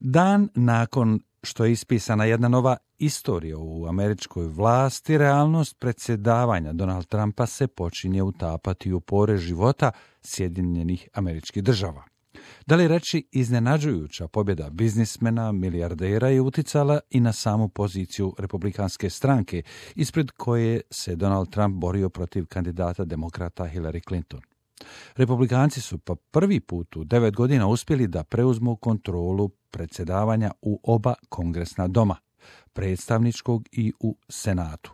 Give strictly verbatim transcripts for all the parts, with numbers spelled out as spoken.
Dan nakon što je ispisana jedna nova istorija u američkoj vlasti, realnost predsjedavanja Donald Trumpa se počinje utapati u pore života Sjedinjenih Američkih Država. Da li reći iznenađujuća pobjeda biznismena, milijardera je uticala i na samu poziciju republikanske stranke, ispred koje se Donald Trump borio protiv kandidata demokrata Hillary Clinton. Republikanci su po prvi put u devet godina uspjeli da preuzmu kontrolu predsjedavanja u oba kongresna doma, predstavničkog i u Senatu.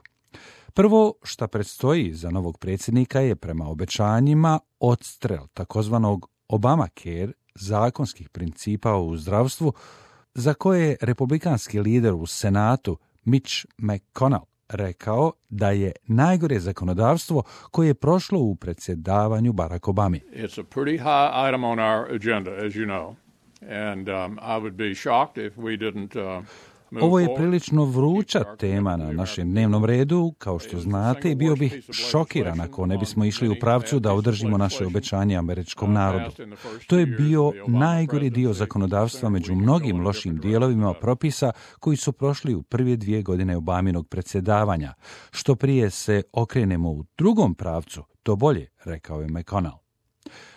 Prvo što predstoji za novog predsjednika je prema obećanjima odstrel takozvanog Obamacare, zakonskih principa u zdravstvu, za koje je republikanski lider u Senatu Mitch McConnell rekao da je najgore zakonodavstvo koje je prošlo u predsjedavanju Barack Obami. It's a pretty high item on our agenda, as you know. And um, I would be shocked if we didn't uh, Ovo je prilično vruća tema na našem dnevnom redu, kao što znate, i bio bih šokiran ako ne bismo išli u pravcu da održimo naše obećanje američkom narodu. To je bio najgori dio zakonodavstva među mnogim lošim dijelovima propisa koji su prošli u prve dvije godine Obaminog predsjedavanja. Što prije se okrenemo u drugom pravcu, to bolje, rekao je McConnell.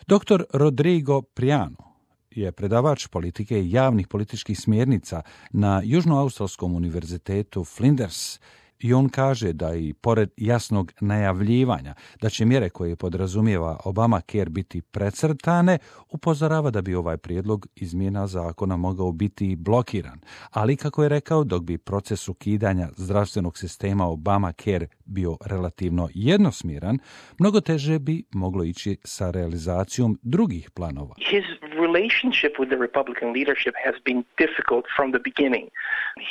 Doktor Rodrigo Priano je predavač politike i javnih političkih smjernica na Južnoaustralskom univerzitetu Flinders i on kaže da i pored jasnog najavljivanja da će mjere koje podrazumijeva Obamacare biti precrtane, upozorava da bi ovaj prijedlog izmjena zakona mogao biti blokiran. Ali, kako je rekao, dok bi proces ukidanja zdravstvenog sistema Obamacare bio relativno jednosmjeran, mnogo teže bi moglo ići sa realizacijom drugih planova. His relationship with the Republican leadership has been difficult from the beginning.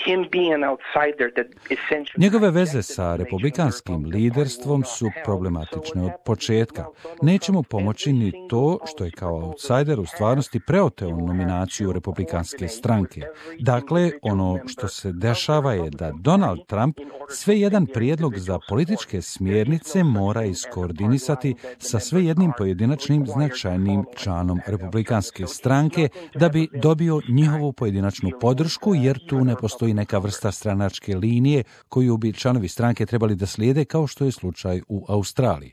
Him being an outsider that essentially Njegove veze sa republikanskim liderstvom su problematične od početka. Neće mu pomoći ni to što je kao outsider u stvarnosti preoteo nominaciju republikanske stranke. Dakle, ono što se dešava je da Donald Trump sve jedan prijedlog za političke smjernice mora iskoordinisati sa sve jednim pojedinačnim značajnim članom republikanske stranke da bi dobio njihovu pojedinačnu podršku, jer tu ne postoji neka vrsta stranačke linije koju bi članovi stranke trebali da slijede, kao što je slučaj u Australiji.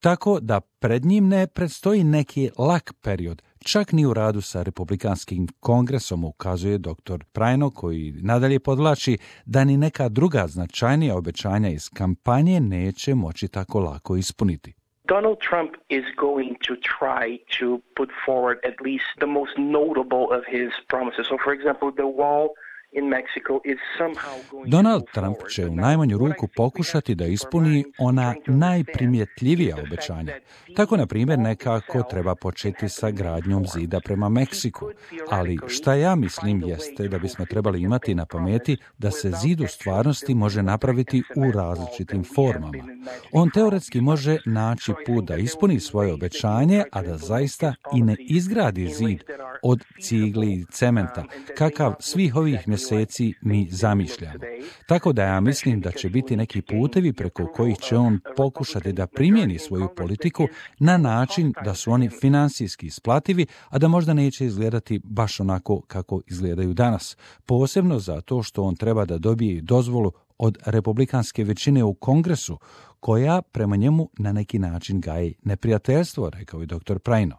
Tako da pred njim ne predstoji neki lak period, čak ni u radu sa republikanskim kongresom, ukazuje doktor Prajno, koji nadalje podvlači da ni neka druga značajnija obećanja iz kampanje neće moći tako lako ispuniti. Donald Trump is going to try to put forward at least the most notable of his promises. So, for example, the wall in Mexico is somehow going Donald to Trump forward. će u najmanju ruku pokušati da ispuni ona najprimjetljivija obećanja. Tako, na primjer, nekako treba početi sa gradnjom zida prema Meksiku. Ali šta ja mislim jeste da bismo trebali imati na pameti da se zid u stvarnosti može napraviti u različitim formama. On teoretski može naći put da ispuni svoje obećanje, a da zaista i ne izgradi zid od cigli i cementa, kakav svih ovih mjeseci mi zamišljamo. Tako da ja mislim da će biti neki putevi preko kojih će on pokušati da primjeni svoju politiku na način da su oni financijski isplativi, a da možda neće izgledati baš onako kako izgledaju danas. Posebno zato što on treba da dobije dozvolu od republikanske većine u Kongresu, koja prema njemu na neki način gaji neprijateljstvo, rekao je doktor Prajno.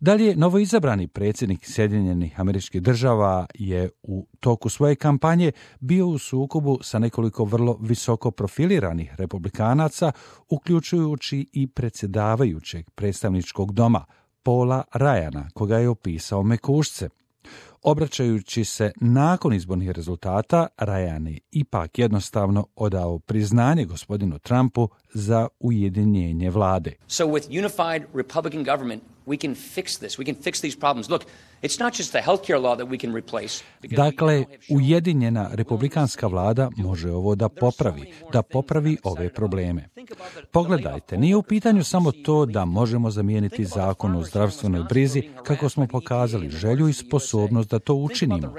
Dalje, novoizabrani predsjednik Sjedinjenih Američkih Država je u toku svoje kampanje bio u sukobu sa nekoliko vrlo visoko profiliranih republikanaca, uključujući i predsjedavajućeg predstavničkog doma, Paula Ryana, koga je opisao mekušce. Obraćajući se nakon izbornih rezultata, Ryan je ipak jednostavno odao priznanje gospodinu Trumpu za ujedinjenje vlade. So with unified Republican government, we can fix this. We can fix these problems. Look, it's not just the healthcare law that we can replace. Dakle, ujedinjena republikanska vlada može ovo da popravi, da popravi ove probleme. Pogledajte, nije u pitanju samo to da možemo zamijeniti zakon o zdravstvenoj brizi, kako smo pokazali želju i sposobnost da to učinimo.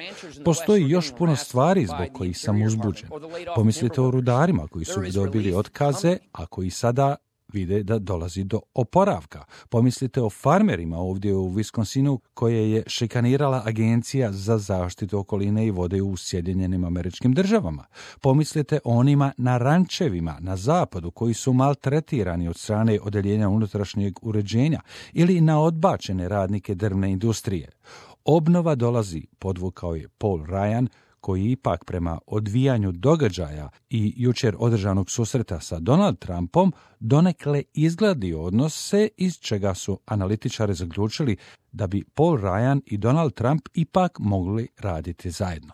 Postoji još puno stvari zbog kojih sam uzbuđen. Pomislite o rudarima koji su dobili otkaze, a koji sada vide da dolazi do oporavka. Pomislite o farmerima ovdje u Wisconsinu koje je šikanirala Agencija za zaštitu okoline i vode u Sjedinjenim Američkim Državama. Pomislite o onima na rančevima na zapadu koji su maltretirani od strane odeljenja unutrašnjeg uređenja ili na odbačene radnike drvne industrije. Obnova dolazi, podvukao je Paul Ryan, koji ipak prema odvijanju događaja i jučer održanog susreta sa Donald Trumpom donekle izgladi odnose iz čega su analitičari zaključili da bi Paul Ryan i Donald Trump ipak mogli raditi zajedno.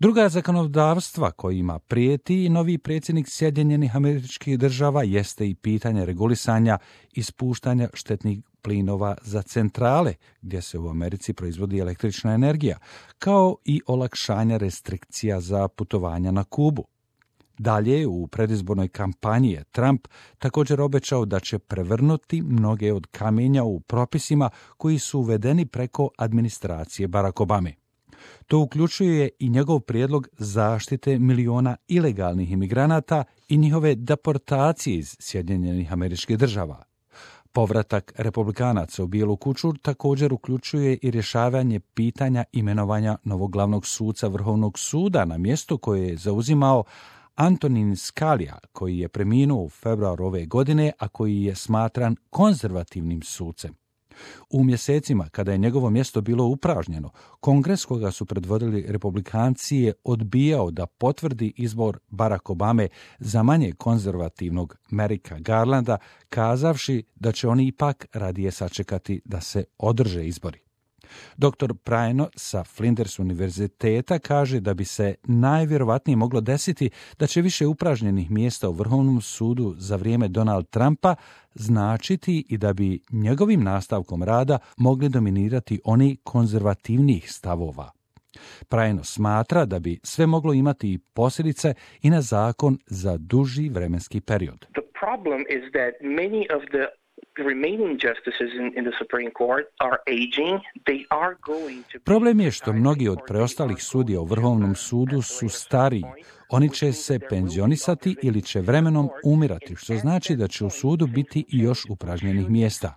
Druga zakonodavstva kojima prijeti novi predsjednik Sjedinjenih Američkih Država jeste i pitanje regulisanja ispuštanja štetnih plinova za centrale, gdje se u Americi proizvodi električna energija, kao i olakšanja restrikcija za putovanja na Kubu. Dalje, u predizbornoj kampanji je Trump također obećao da će prevrnuti mnoge od kamenja u propisima koji su uvedeni preko administracije Barack Obame. To uključuje i njegov prijedlog zaštite miliona ilegalnih imigranata i njihove deportacije iz Sjedinjenih Američkih Država. Povratak republikanaca u Bijelu kuću također uključuje i rješavanje pitanja imenovanja novog glavnog suca Vrhovnog suda na mjesto koje je zauzimao Antonin Scalia, koji je preminuo u februaru ove godine, a koji je smatran konzervativnim sucem. U mjesecima kada je njegovo mjesto bilo upražnjeno, Kongres koga su predvodili republikanci je odbijao da potvrdi izbor Barack Obame za manje konzervativnog Merricka Garlanda, kazavši da će oni ipak radije sačekati da se održe izbori. Doktor Praino sa Flinders univerziteta kaže da bi se najvjerovatnije moglo desiti da će više upražnjenih mjesta u Vrhovnom sudu za vrijeme Donald Trumpa značiti i da bi njegovim nastavkom rada mogli dominirati oni konzervativnijih stavova. Praino smatra da bi sve moglo imati i posljedice i na zakon za duži vremenski period. The problem is that many of the remaining justices in, in the Supreme Court are aging. They are going to Problem je što mnogi od preostalih sudija u Vrhovnom sudu su stariji. Oni će se penzionisati ili će vremenom umirati, što znači da će u sudu biti i još upražnjenih mjesta.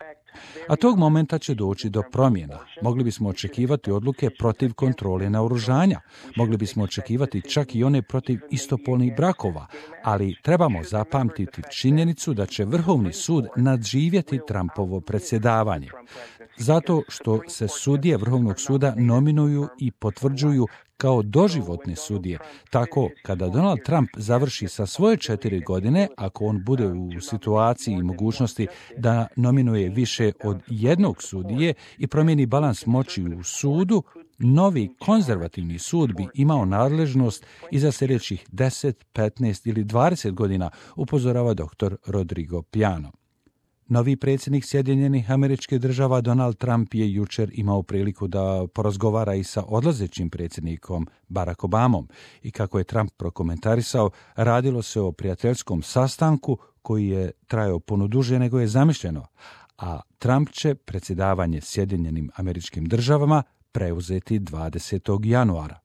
A tog momenta će doći do promjena. Mogli bismo očekivati odluke protiv kontrole naoružanja. Mogli bismo očekivati čak i one protiv istopolnih brakova, ali trebamo zapamtiti činjenicu da će Vrhovni sud nadživjeti Trumpovo predsjedavanje. Zato što se sudije Vrhovnog suda nominuju i potvrđuju kao doživotne sudije. Tako, kada Donald Trump završi sa svoje četiri godine, ako on bude u situaciji i mogućnosti da nominuje više od jednog sudije i promijeni balans moći u sudu, novi konzervativni sud bi imao nadležnost i za sljedećih deset, petnaest ili dvadeset godina, upozorava doktor Rodrigo Piano. Novi predsjednik Sjedinjenih Američkih Država Donald Trump je jučer imao priliku da porazgovara i sa odlazećim predsjednikom Barack Obamom i kako je Trump prokomentarisao, radilo se o prijateljskom sastanku koji je trajao puno duže nego je zamišljeno, a Trump će predsjedavanje Sjedinjenim Američkim Državama preuzeti dvadesetog januara.